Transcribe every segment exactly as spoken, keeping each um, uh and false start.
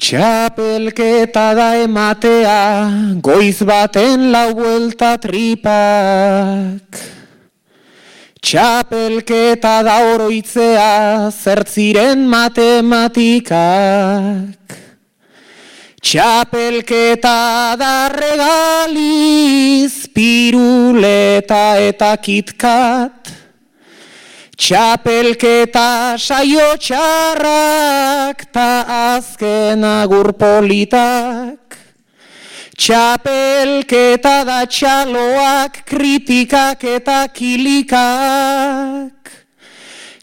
Txapelketa da ematea, goiz baten lau buelta tripak. Txapelketa da oroitzea, zertziren matematikak. Txapelketa da regaliz, piruleta eta kitkat. Txapelketa saio txarrak ta azken agur politak. Txapelketa da txaloak, kritikak eta kilikak.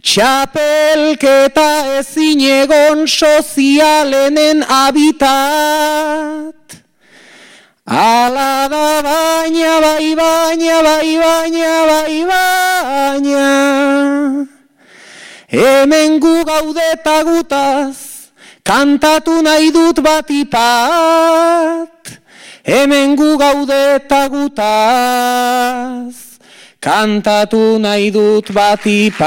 Txapelketa ezin egon sozialenen habitat. Ala da baina, bai baina, bai baina, bai baina. Hemen gu gaudeta gutaz, kantatu nahi dut batipat. Hemen gu gaudeta gutaz, kantatu nahi dut batipat.